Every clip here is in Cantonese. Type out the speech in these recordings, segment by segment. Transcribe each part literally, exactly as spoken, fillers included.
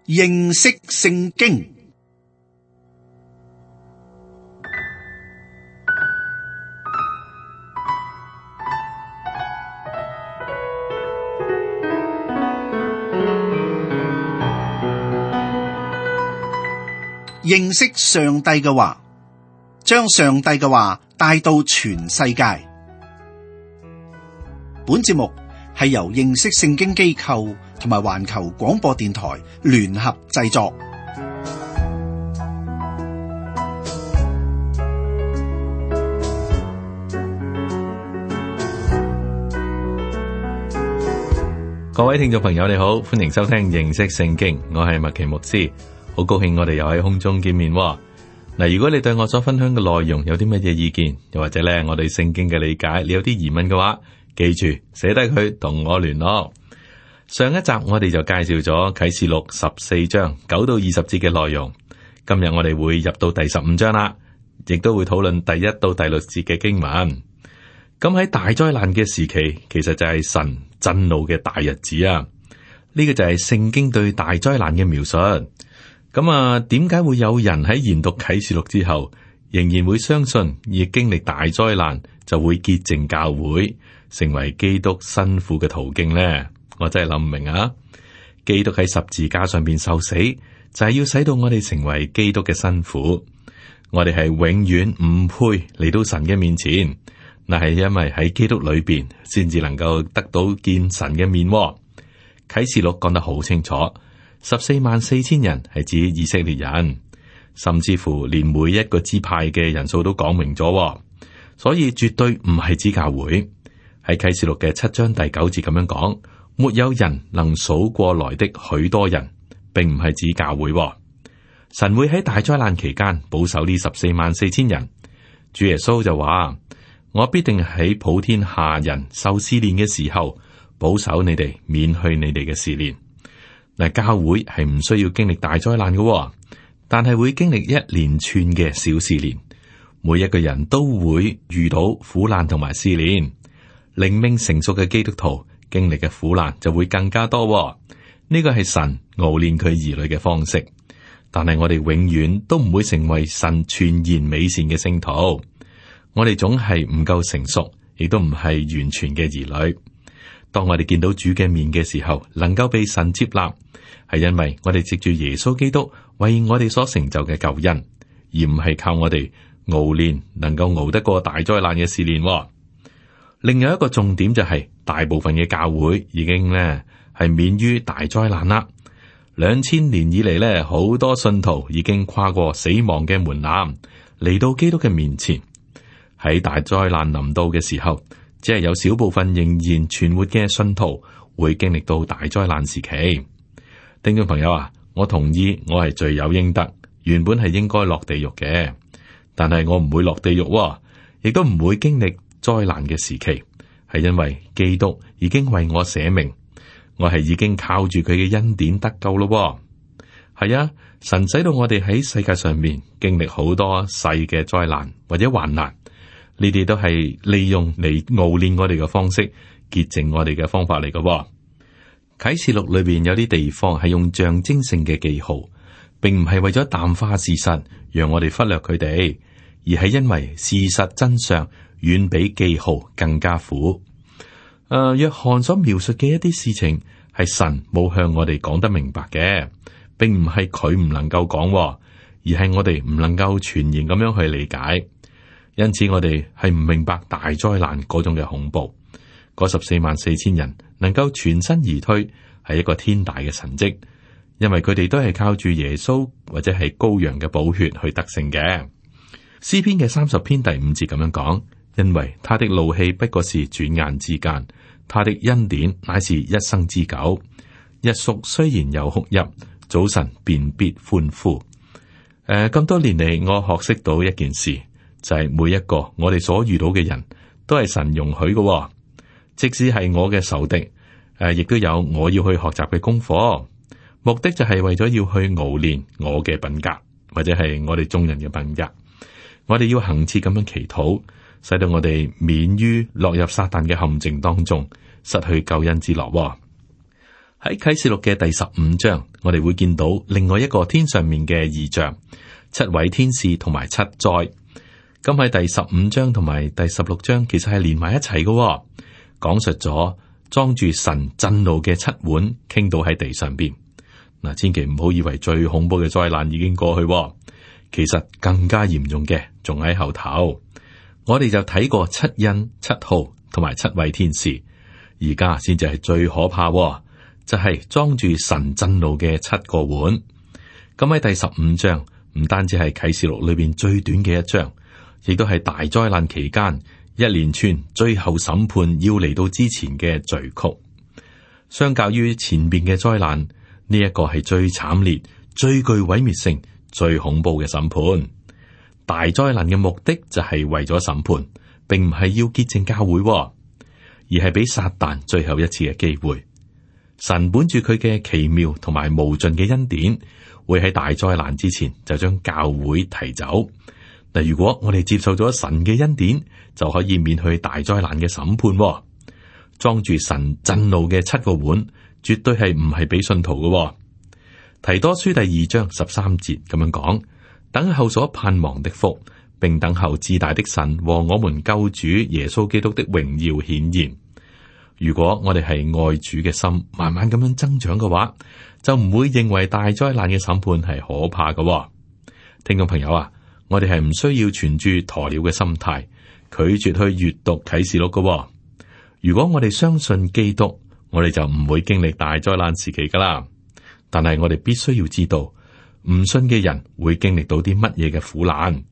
認識聖經。認識上帝嘅話，將上帝嘅話帶到全世界。本節目係由認識聖經機構同埋環球廣播電台聯合製作。各位聽眾朋友，你好，歡迎收聽認識聖經，我係麥奇牧師。好高興我哋又喺空中見面嗱。如果你對我所分享嘅內容有啲乜嘢意見，又或者咧我對聖經嘅理解，你有啲疑問嘅話，記住寫低佢同我聯絡。上一集我哋就介紹咗啟示錄十四章九到二十節嘅內容，今日我哋會入到第十五章啦，亦都會討論第一到第六節嘅經文。咁喺大災難嘅時期，其實就係神震怒嘅大日子啊！呢個就係聖經對大災難嘅描述。咁啊，點解會有人喺研讀啟示錄之後，仍然會相信而經歷大災難就會潔淨教會，成為基督辛苦嘅途徑呢？我真係諗唔明啊！基督喺十字架上邊受死，就係要使到我哋成為基督嘅辛苦。我哋係永遠唔配嚟到神嘅面前，那係因為喺基督裏邊先至能夠得到見神嘅面。啟示錄講得好清楚。十四萬四千人係指以色列人，甚至乎連每一個支派嘅人數都講明咗，所以絕對唔係指教會。喺啟示錄嘅七章第九節咁樣講，沒有人能數過來的許多人，並唔係指教會。神會喺大災難期間保守呢十四萬四千人。主耶穌就話：我必定喺普天下人受試煉嘅時候，保守你哋，免去你哋嘅試煉。嗱，教會係唔需要經歷大災難嘅，但係會經歷一連串嘅小試煉。每一個人都會遇到苦難同埋試煉。靈命成熟嘅基督徒經歷嘅苦難就會更加多。呢個係神熬煉佢兒女嘅方式。但係我哋永遠都唔會成為神全然美善嘅聖徒。我哋總係唔夠成熟，亦都唔係完全嘅兒女。當我哋見到主嘅面嘅時候，能夠被神接納，係因為我哋藉住耶穌基督為我哋所成就嘅救恩，而唔係靠我哋熬煉能夠熬得過大災難嘅試煉。另外一個重點就係、是，大部分嘅教會已經咧係免於大災難啦。兩千年以嚟咧，好多信徒已經跨過死亡嘅門檻，嚟到基督嘅面前。喺大災難臨到嘅時候，只係有少部分仍然存活嘅信徒會經歷到大災難時期。聽眾朋友啊，我同意我係罪有應得，原本係應該落地獄嘅，但係我唔會落地獄，亦都唔會經歷災難嘅時期，係因為基督已經為我捨命，我係已經靠住佢嘅恩典得救咯。係啊，神使到我哋喺世界上面經歷好多細嘅災難或者患難。呢啲都係利用嚟熬煉我哋嘅方式，潔淨我哋嘅方法嚟嘅。啟示錄裏邊有啲地方係用象徵性嘅記號，並唔係為咗淡化事實，讓我哋忽略佢哋，而係因為事實真相遠比記號更加苦。誒、呃，約翰所描述嘅一啲事情係神冇向我哋講得明白嘅，並唔係佢唔能夠講，而係我哋唔能夠全然咁樣去理解。因此我哋係唔明白大災難嗰種嘅恐怖。嗰十四萬四千人能夠全身而退，係一個天大嘅神蹟，因為佢哋都係靠住耶穌或者係羔羊嘅寶血去得勝嘅。詩篇嘅三十篇第五節咁樣講：因為他的怒氣不過是轉眼之間，他的恩典乃是一生之久。日宿雖然有哭泣，早晨便必歡呼。誒、呃，咁多年嚟，我學識到一件事。就係每一個我哋所遇到嘅人都係神容許嘅，即使係我嘅仇敵，誒，亦都有我要去學習嘅功課。目的就係為咗要去熬煉我嘅品格，或者係我哋眾人嘅品格。我哋要恆切咁樣祈禱，使到我哋免於落入撒旦嘅陷阱當中，失去救恩之樂。喺啟示錄嘅第十五章，我哋會見到另外一個天上面嘅異象，七位天使同埋七災。咁喺第十五章同埋第十六章，其實係連埋一齊嘅，講述咗裝住神震怒嘅七碗傾倒喺地上邊。嗱，千祈唔好以為最恐怖嘅災難已經過去，其實更加嚴重嘅仲喺後頭。我哋就睇過七印、七號同埋七位天使，而家先至係最可怕，就係裝住神震怒嘅七個碗。咁喺第十五章，唔單止係啟示錄裏邊最短嘅一章，亦都係大災難期間一連串最後審判要嚟到之前嘅序曲。相較於前邊嘅災難，呢一個係最慘烈、最具毀滅性、最恐怖嘅審判。大災難嘅目的就係為咗審判，並唔係要潔淨教會，而係俾撒旦最後一次嘅機會。神本住佢嘅奇妙同埋無盡嘅恩典，會喺大災難之前就將教會提走。嗱，如果我哋接受咗神嘅恩典，就可以免去大災難嘅審判。裝住神震怒嘅七個碗，絕對係唔係俾信徒嘅。提多書第二章十三節咁樣講：等候所盼望的福，並等候至大的神和我們救主耶穌基督的榮耀顯現。如果我哋係愛主嘅心慢慢咁樣增長嘅話，就唔會認為大災難嘅審判係可怕嘅。聽眾朋友啊，我哋係唔需要存住鴕鳥嘅心態，拒絕去閱讀啟示錄嘅。如果我哋相信基督，我哋就唔會經歷大災難時期噶啦。但係我哋必須要知道，唔信嘅人會經歷到啲乜嘢嘅苦難，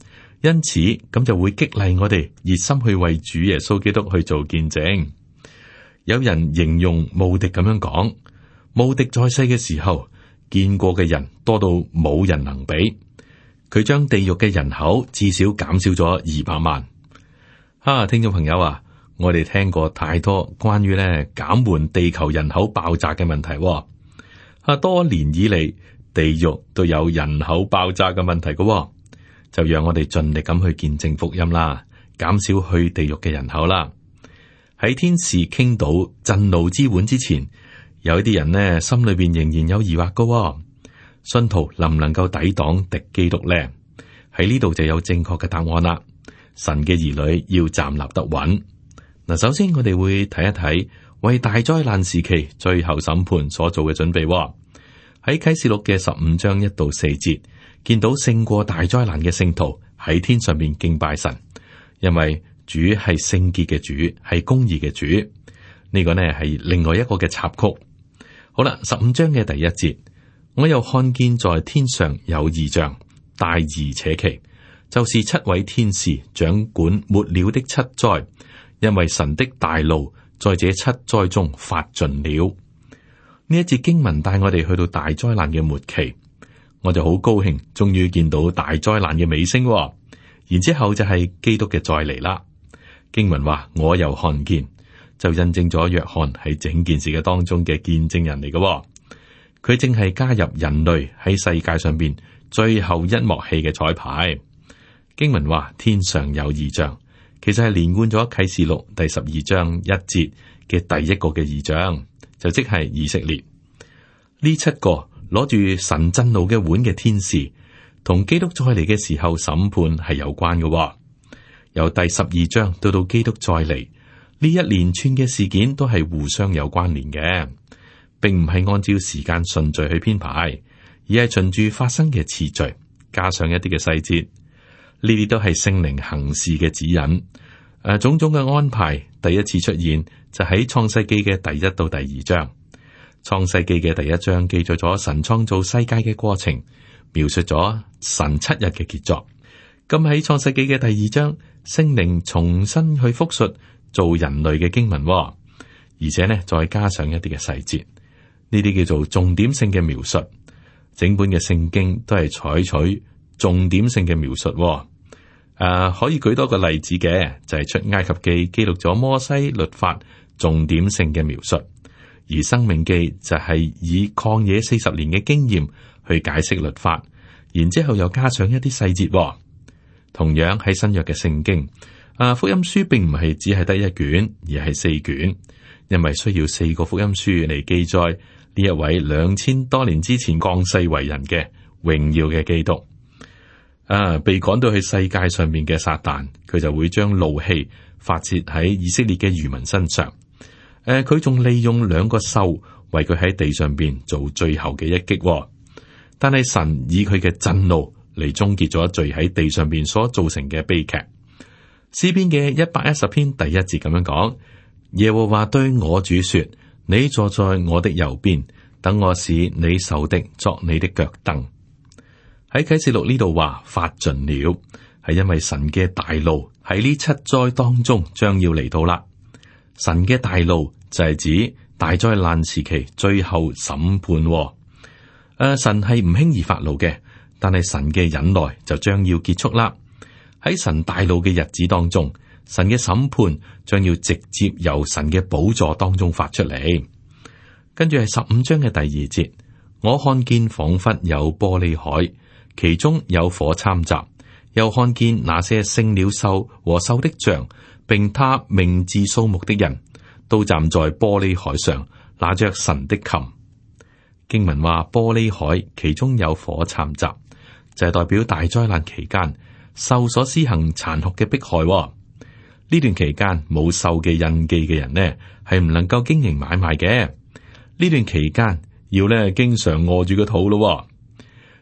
因此咁就會激勵我哋熱心去為主耶穌基督去做見證。有人形容慕迪咁樣講：慕迪在世嘅時候見過嘅人多到冇人能比，佢將地獄嘅人口至少減少咗二百萬。啊，聽眾朋友啊，我哋聽過太多關於咧減緩地球人口爆炸嘅問題。啊，多年以嚟地獄都有人口爆炸嘅問題嘅，就讓我哋盡力咁去見證福音啦，減少去地獄嘅人口啦。喺天使傾倒震怒之碗之前，有一啲人呢心裏邊仍然有疑惑嘅，信徒能唔能夠抵擋敵基督呢？喺呢度就有正確嘅答案啦。神嘅兒女要站立得穩。嗱，首先我哋會睇一睇為大災難時期最後審判所做嘅準備。喺啟示錄嘅十五章一到四節，見到勝過大災難嘅聖徒喺天上面敬拜神，因為主係聖潔嘅主，係公義嘅主。呢、這個呢係另外一個嘅插曲。好啦，十五章嘅第一節，我又看見在天上有異象，大而且奇，就是七位天使掌管末了的七災，因為神的大怒在這七災中發盡了。呢一節經文帶我哋去到大災難嘅末期，我就好高興，終於見到大災難嘅尾聲。然之後就係基督嘅再嚟啦。經文話我又看見，就印證咗約翰喺整件事嘅當中嘅見證人嚟嘅。佢正係加入人類喺世界上邊最後一幕戲嘅彩排。經文話天上有異象，其實係連貫咗啟示錄第十二章一節嘅第一個嘅異象，就即係以色列。呢七個攞住神震怒嘅碗嘅天使，同基督再嚟嘅時候審判係有關嘅。由第十二章到到基督再嚟，呢一連串嘅事件都係互相有關聯嘅，並唔係按照時間順序去編排，而係循住發生嘅次序，加上一啲嘅細節。呢啲都係聖靈行事嘅指引。誒、啊，種種嘅安排第一次出現就喺創世記嘅第一到第二章。創世記嘅第一章記載咗神創造世界嘅過程，描述咗神七日嘅傑作。咁喺創世記嘅第二章，聖靈重新去複述做人類嘅經文，而且呢再加上一啲嘅細節，呢啲叫做重點性嘅描述。整本嘅聖經都係採取重點性嘅描述。誒、啊，可以舉多個例子嘅，就係、是、出埃及記記錄咗摩西律法重點性嘅描述，而申命記就係以曠野四十年嘅經驗去解釋律法，然之後又加上一啲細節。同樣喺新約嘅聖經，啊，福音書並唔係只係得一卷，而係四卷，因為需要四個福音書嚟記載呢一位兩千多年之前降世為人嘅榮耀嘅基督。啊，被趕到去世界上面嘅撒旦，佢就會將怒氣發洩喺以色列嘅餘民身上。誒、啊，佢仲利用兩個獸為佢喺地上邊做最後嘅一擊、哦。但係神以佢嘅震怒嚟終結咗罪喺地上邊所造成嘅悲劇。詩篇嘅一百一十篇第一節咁樣講：耶和華對我主說，你坐在我的右邊，等我使你仇敵作你的腳凳。喺啟示錄呢度話發盡了，係因為神嘅大怒喺呢七災當中將要嚟到啦。神嘅大怒就係指大災難時期最後審判、哦。誒、呃，神係唔輕易發怒嘅，但係神嘅忍耐就將要結束啦。喺神大怒嘅日子當中，神嘅審判將要直接由神嘅寶座當中發出嚟。跟住係十五章嘅第二節，我看見仿佛有玻璃海，其中有火摻雜，又看見那些勝了獸和獸的像，並他名字數目的人，都站在玻璃海上，拿着神的琴。經文話玻璃海其中有火摻雜，就係、是、代表大災難期間獸所施行殘酷嘅迫害、哦。呢段期間冇獸嘅印記嘅人呢，係唔能夠經營買賣嘅。呢段期間要咧經常餓住個肚咯。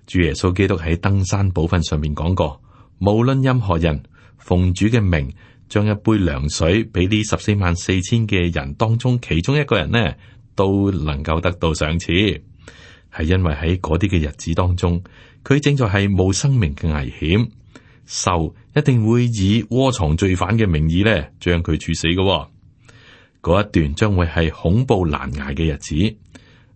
主耶穌基督喺登山寶訓上面講過，無論任何人奉主嘅名，將一杯涼水俾呢十四萬四千嘅人當中其中一個人呢，都能夠得到賞賜，係因為喺嗰啲嘅日子當中，佢正在係冇生命嘅危險，獸一定會以窩藏罪犯嘅名義咧，將佢處死嘅。嗰一段將會係恐怖難捱嘅日子。誒、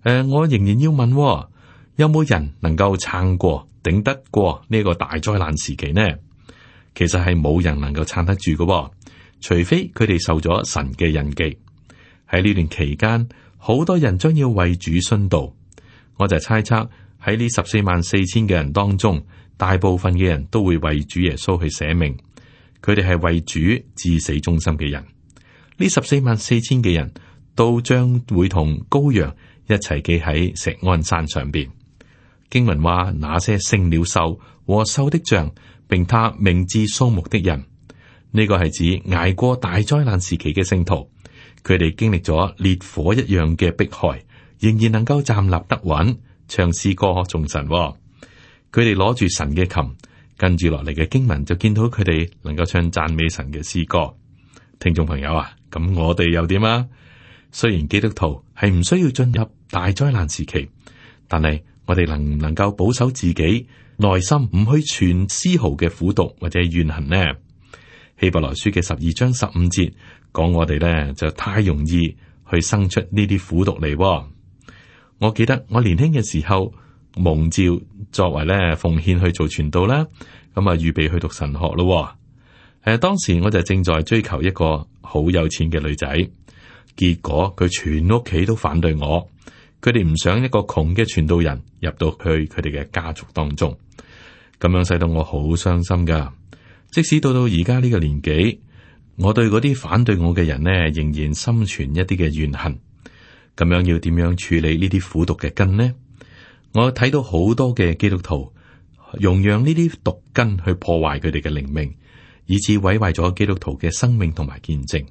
呃，我仍然要問、哦，有冇人能夠撐過、頂得過呢個大災難時期呢？其實係冇人能夠撐得住嘅、哦，除非佢哋受咗神嘅印記。喺呢段期間，好多人將要為主殉道。我就猜測喺呢十四萬四千嘅人當中，大部分嘅人都會為主耶穌去捨命。佢哋係為主至死忠心嘅人。呢十四萬四千嘅人都將會同羔羊一齊企喺錫安山上邊。經文話，那些勝了獸和獸的像，並他名字數目的人，呢個係指捱過大災難時期嘅聖徒。佢哋經歷咗烈火一樣嘅迫害，仍然能夠站立得穩，唱詩歌頌神。佢哋攞住神嘅琴，跟住落嚟嘅經文就見到佢哋能夠唱讚美神嘅詩歌。聽眾朋友啊，咁我哋又點啊？雖然基督徒係唔需要進入大災難時期，但係我哋能唔能夠保守自己內心唔去存絲毫嘅苦毒或者怨恨呢？希伯來書嘅十二章十五節講我哋咧就太容易去生出呢啲苦毒嚟。我記得我年輕嘅時候蒙召作為咧奉獻去做傳道啦，咁啊預備去讀神學咯。誒，當時我就正在追求一個好有錢嘅女仔，結果佢全屋企都反對我，佢哋唔想一個窮嘅傳道人入到去佢哋嘅家族當中，咁樣使到我好傷心噶。即使到到而家呢個年紀，我對嗰啲反對我嘅人呢，仍然心存一啲嘅怨恨。咁樣要點樣處理呢啲苦毒嘅根呢？我睇到好多嘅基督徒容讓呢啲毒根去破壞佢哋嘅靈命，以致毀壞咗基督徒嘅生命同埋見證。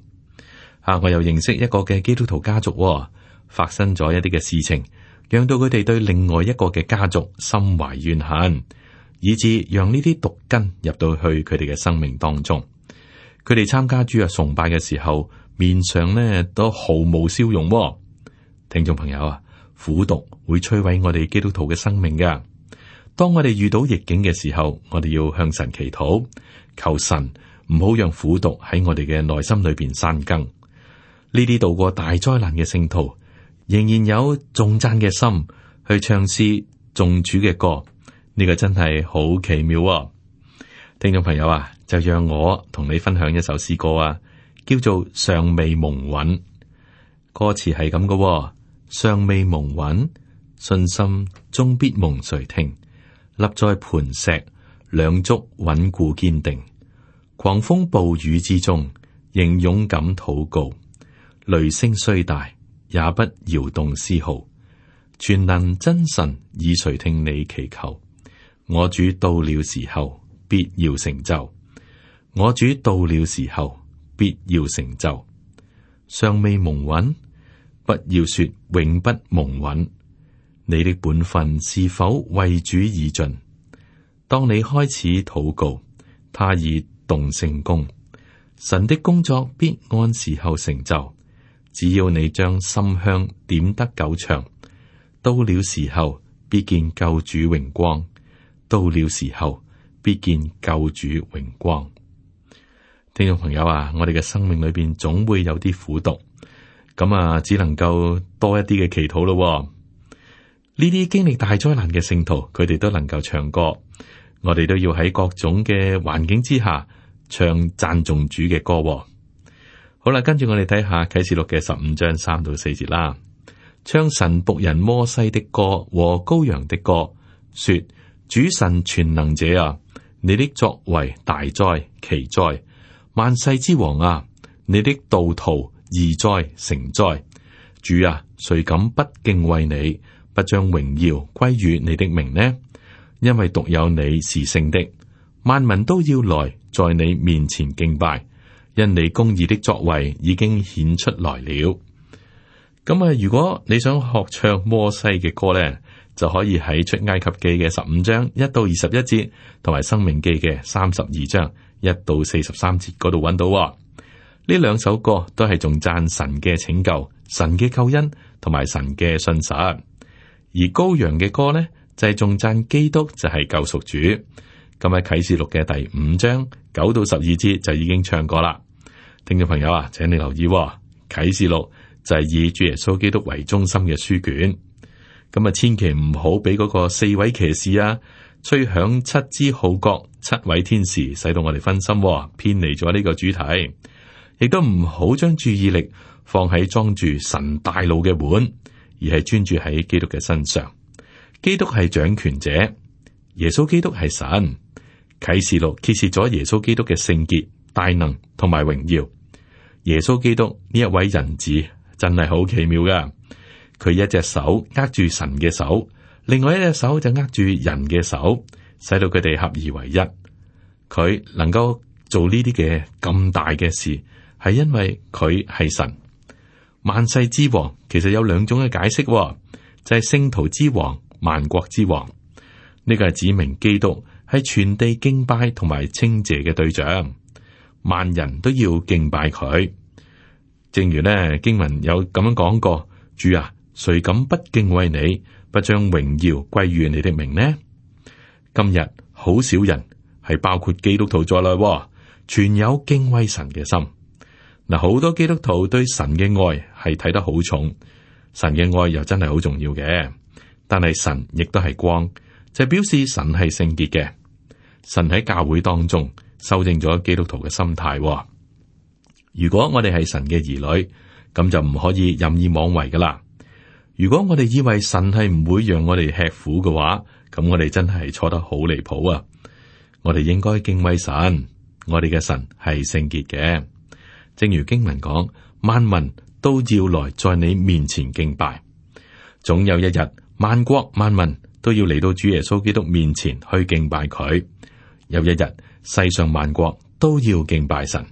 啊，我又認識一個嘅基督徒家族，哦，發生咗一啲嘅事情，讓到佢哋對另外一個嘅家族心懷怨恨，以致讓呢啲毒根入到去佢哋嘅生命當中。佢哋參加主日崇拜嘅時候，面上呢都毫無笑容，哦。聽眾朋友啊，苦毒會摧毀我哋基督徒嘅生命噶。當我哋遇到逆境嘅時候，我哋要向神祈禱，求神唔好讓苦毒喺我哋嘅內心裏邊生根。呢啲度過大災難嘅聖徒，仍然有頌讚嘅心去唱詩頌主嘅歌，呢個真係好奇妙啊！聽眾朋友啊，就讓我同你分享一首詩歌啊，叫做《尚未蒙允》。歌詞係咁嘅：尚未蒙允，信心終必蒙垂聽。立在磐石，兩足穩固堅定。狂風暴雨之中，仍勇敢禱告。雷聲雖大，也不搖動絲毫。全能真神以垂聽你祈求。我主到了時候必要成就，我主到了時候必要成就。尚未蒙允，不要說永不蒙允。你的本分是否為主已盡？當你開始禱告，他已動聖工，神的工作必按時候成就。只要你將心香點得夠長，到了時候必見救主榮光，到了時候必見救主榮光。聽眾朋友啊，我哋嘅生命裏邊總會有啲苦毒，咁啊，只能夠多一啲嘅祈禱咯。呢啲經歷大災難嘅聖徒，佢哋都能夠唱歌，我哋都要喺各種嘅環境之下唱讚頌主嘅歌。好啦，跟住我哋睇下啟示錄嘅十五章三到四節啦。唱神僕人摩西的歌和羔羊的歌，說：主神全能者啊，你的作為大哉奇哉，萬世之王啊，你的道途義哉誠哉。主啊，誰敢不敬畏你，不將榮耀歸於你的名呢？因為獨有你是聖的，萬民都要來在你面前敬拜。因你公義的作為已經顯出來了。咁啊，如果你想學唱摩西嘅歌咧，就可以喺出埃及記嘅十五章一到二十一節，同埋申命記嘅三十二章一到四十三節嗰度揾到。呢兩首歌都係仲讚神嘅拯救、神嘅救恩同埋神嘅信實。而羔羊嘅歌咧就係仲讚基督就係救贖主。咁喺啟示錄嘅第五章九到十二節就已經唱過啦。聽眾朋友啊，請你留意喎，啟示錄就係以主耶穌基督為中心嘅書卷。咁啊，千祈唔好俾嗰個四位騎士啊吹響七支號角，七位天使使到我哋分心喎，偏離咗呢個主題。亦都唔好將注意力放喺裝住神大怒嘅碗，而係專注喺基督嘅身上。基督係掌權者，耶穌基督係神。啟示錄揭示咗耶穌基督嘅聖潔、大能同埋榮耀。耶穌基督呢一位人子真係好奇妙噶，佢一隻手握住神嘅手，另外一隻手就握住人嘅手，使到佢哋合而為一。佢能夠做呢啲嘅咁大嘅事，係因為佢係神。萬世之王其實有兩種嘅解釋，就係聖徒之王、萬國之王。呢個係指明基督係全地敬拜同埋稱謝嘅對象，萬人都要敬拜佢。正如呢經文有咁樣講過：主啊，誰敢不敬畏你，不將榮耀歸於你的名呢？今日好少人係包括基督徒在內，全有敬畏神嘅心。嗱，好多基督徒對神嘅愛係睇得好重，神嘅愛又真係好重要嘅。但係神亦都係光，就表示神係聖潔嘅。神喺教會當中修正咗基督徒嘅心態。如果我哋係神嘅兒女，咁就唔可以任意妄為噶啦。如果我哋以為神係唔會讓我哋吃苦嘅話，咁我哋真係錯得好離譜啊！我哋應該敬畏神，我哋嘅神係聖潔嘅。正如經文講，萬民都要來在你面前敬拜。總有一日，萬國萬民都要嚟到主耶穌基督面前去敬拜佢。有一日，世上萬國都要敬拜神。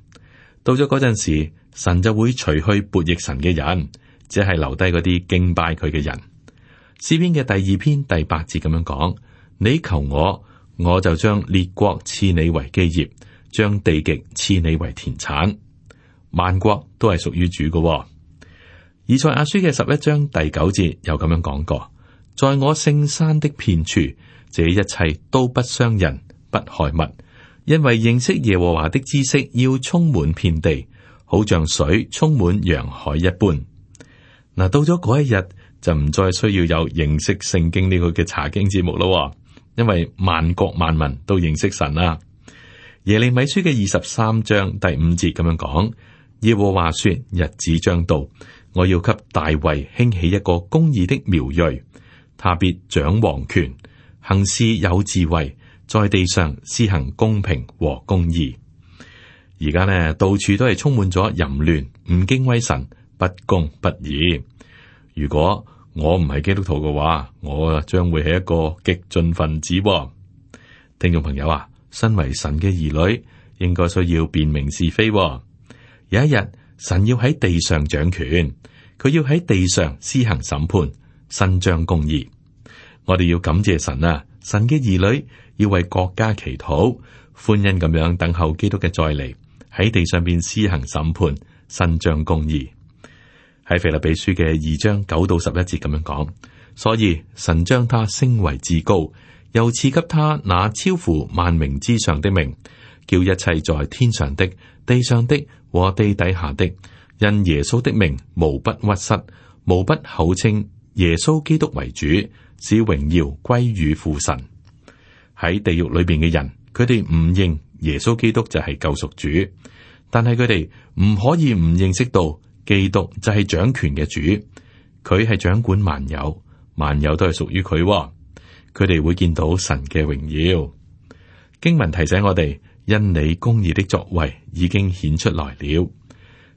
到咗嗰陣時，神就會除去悖逆神嘅人，只係留低嗰啲敬拜佢嘅人。詩篇嘅第二篇第八節咁樣講：你求我，我就將列國賜你為基業，將地極賜你為田產。萬國都係屬於主嘅、哦。以賽亞書嘅十一章第九節又咁樣講過：在我聖山的遍處，這一切都不傷人，不害物，因為認識耶和華的知識要充滿遍地，好像水充滿洋海一般。嗱，到咗嗰一日就唔再需要有認識聖經呢個嘅查經節目咯，因為萬國萬民都認識神啦。耶利米書嘅二十三章第五節咁樣講。耶和華說：日子將到，我要給大衛興起一個公義的苗裔，他必掌王權，行事有智慧，在地上施行公平和公義。而家呢，到處都係充滿咗淫亂，唔敬畏神，不公不義。如果我唔係基督徒嘅話，我啊將會係一個激進分子喎。聽眾朋友啊，身為神嘅兒女，應該需要辨明是非喎。有一日，神要喺地上掌權，佢要喺地上施行審判，伸張公義。我哋要感謝神啊！神嘅兒女要為國家祈禱，歡欣咁樣等候基督嘅再嚟，喺地上邊施行審判，伸張公義。喺腓立比書嘅二章九到十一節咁樣講，所以神將他升為至高，又賜給他那超乎萬名之上的名，叫一切在天上的、地上的和地底下的，因耶穌的名，無不屈膝，無不口稱耶穌基督為主，使榮耀歸於父神。喺地獄裏邊嘅人，佢哋唔認耶穌基督就係救贖主，但係佢哋唔可以唔認識到基督就係掌權嘅主，佢係掌管萬有，萬有都係屬於佢。佢哋會見到神嘅榮耀。經文提醒我哋，因你公義的作為已經顯出來了。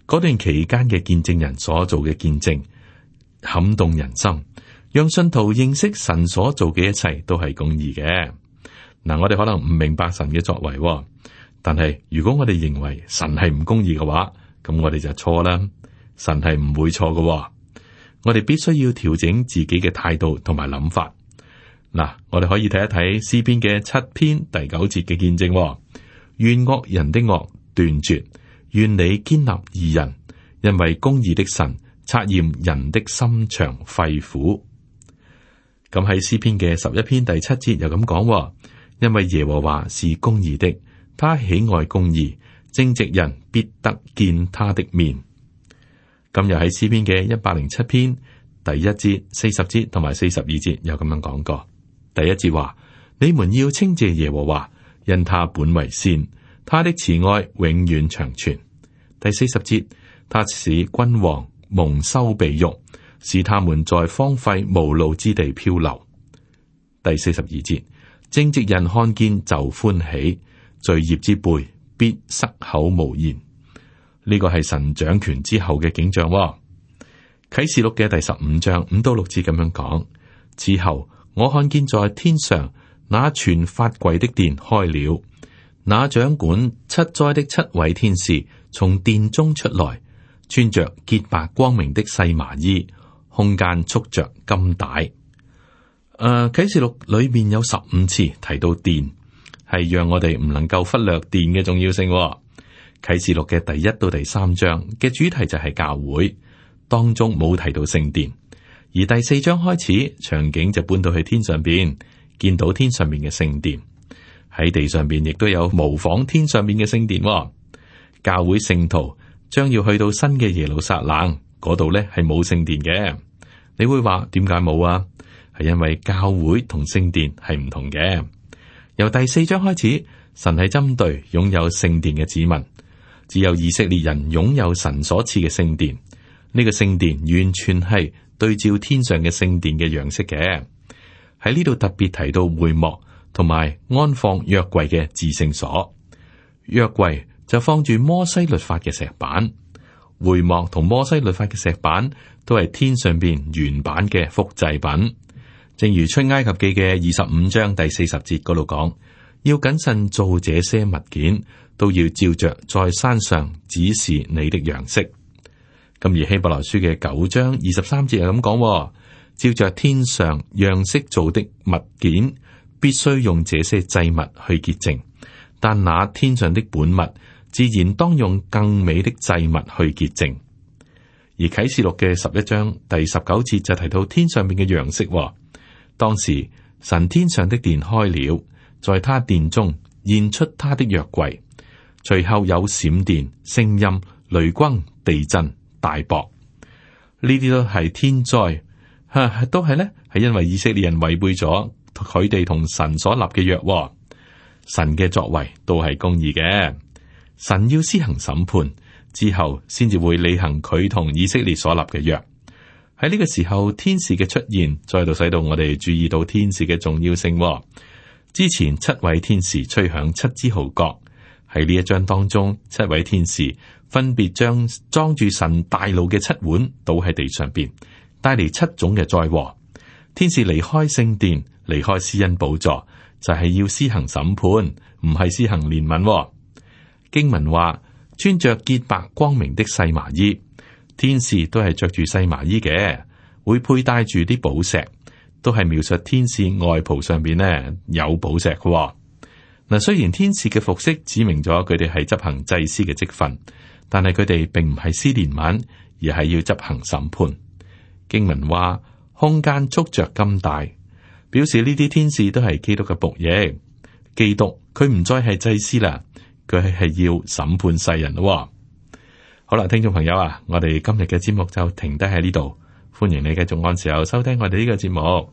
嗰段期間嘅見證人所做嘅見證，撼動人心，讓信徒認識神所做嘅一切都係公義嘅。嗱，我哋可能唔明白神嘅作為，但係如果我哋認為神係唔公義嘅話，咁我哋就錯啦。神係唔會錯嘅，我哋必須要調整自己嘅態度同埋諗法。嗱，我哋可以睇一睇詩篇嘅七篇第九節嘅見證，願惡人的惡斷絕，願你堅立義人，因為公義的神察驗人的心腸肺腑。咁喺詩篇嘅十一篇第七節又咁講，因為耶和華是公義的，他喜愛公義，正直人必得見他的面。今日喺詩篇嘅一百零七篇第一節、四十節同埋四十二節有咁樣講過。第一節話：你們要稱謝耶和華，因他本為善，他的慈愛永遠長存。第四十節，他使君王蒙羞被辱，使他們在荒廢無路之地漂流。第四十二節，正直人看見就歡喜，罪孽之輩必塞口無言。呢個係神掌權之後嘅景象。啟示錄嘅第十五章五到六節咁樣講：之後我看見在天上那全法櫃的殿開了，那掌管七災的七位天使從殿中出來，穿着潔白光明的細麻衣，胸間束着金帶。誒、呃，啟示錄裏面有十五次提到殿，係讓我哋唔能夠忽略殿嘅重要性。啟示錄嘅第一到第三章嘅主題就係教會，當中冇提到聖殿，而第四章開始場景就搬到去天上邊，見到天上面嘅聖殿。喺地上邊亦都有模仿天上面嘅聖殿。教會聖徒將要去到新嘅耶路撒冷嗰度呢，係冇聖殿嘅。你會話點解冇啊？係因為教會同聖殿係唔同嘅。由第四章開始，神係針對擁有聖殿嘅子民。只有以色列人擁有神所賜嘅聖殿，呢個聖殿完全係對照天上嘅聖殿嘅樣式嘅。喺呢度特別提到會幕同埋安放約櫃嘅至聖所，約櫃就放住摩西律法嘅石板，會幕同摩西律法嘅石板都係天上邊原版嘅複製品。正如出埃及記嘅二十五章第四十節嗰度講，要謹慎做這些物件，都要照着在山上指示你的樣式。咁而希伯來書嘅九章二十三節係咁講，照着天上樣式做的物件，必須用這些祭物去潔淨，但那天上的本物，自然當用更美的祭物去潔淨。而啟示錄嘅十一章第十九節就提到天上面嘅樣式，當時神天上的殿開了，在他殿中現出他的約櫃，隨後有閃電、聲音、雷轟、地震、大雹，呢啲都係天災，吓、啊、都係呢，係因為以色列人違背咗佢哋同神所立嘅約。神嘅作為都係公義嘅，神要施行審判之後，先至會履行佢同以色列所立嘅約。喺呢個時候，天使嘅出現再度使到我哋注意到天使嘅重要性。之前七位天使吹響七支號角，喺呢一章當中，七位天使分別將裝住神大怒嘅七碗倒喺地上邊，帶嚟七種嘅災禍。天使離開聖殿，離開施恩寶座，就係、是、要施行審判，唔係施行憐憫。經文話，穿着潔白光明的細麻衣，天使都係着住細麻衣嘅，會佩戴住啲寶石，都係描述天使外袍上邊呢有寶石嘅。嗱，雖然天使嘅服飾指明咗佢哋係執行祭司嘅職分，但係佢哋並唔係施憐憫，而係要執行審判。經文話，空間束着金帶，表示呢啲天使都係基督嘅僕役。基督佢唔再係祭司啦。佢係要審判世人咯。好啦，聽眾朋友啊，我哋今日嘅節目就停低喺呢度。歡迎你繼續按時候收聽我哋呢個節目。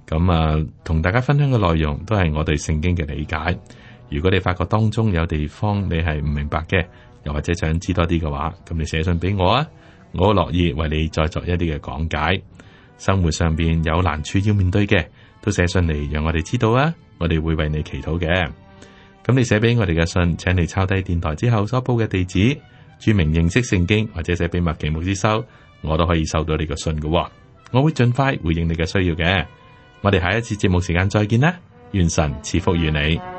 咁啊，同大家分享嘅內容都係我對聖經嘅理解。如果你發覺當中有地方你係唔明白嘅，又或者想知多啲嘅話，咁你寫信俾我啊，我好樂意為你再作一啲嘅講解。生活上邊有難處要面對嘅，都寫信嚟讓我哋知道啊，我哋會為你祈禱嘅。咁你寫俾我哋嘅信，請你抄低電台之後所報嘅地址，注明認識聖經，或者寫俾麥奇牧師收，我都可以收到你個信嘅。我會盡快回應你嘅需要嘅。我哋下一次節目時間再見啦，願神賜福於你。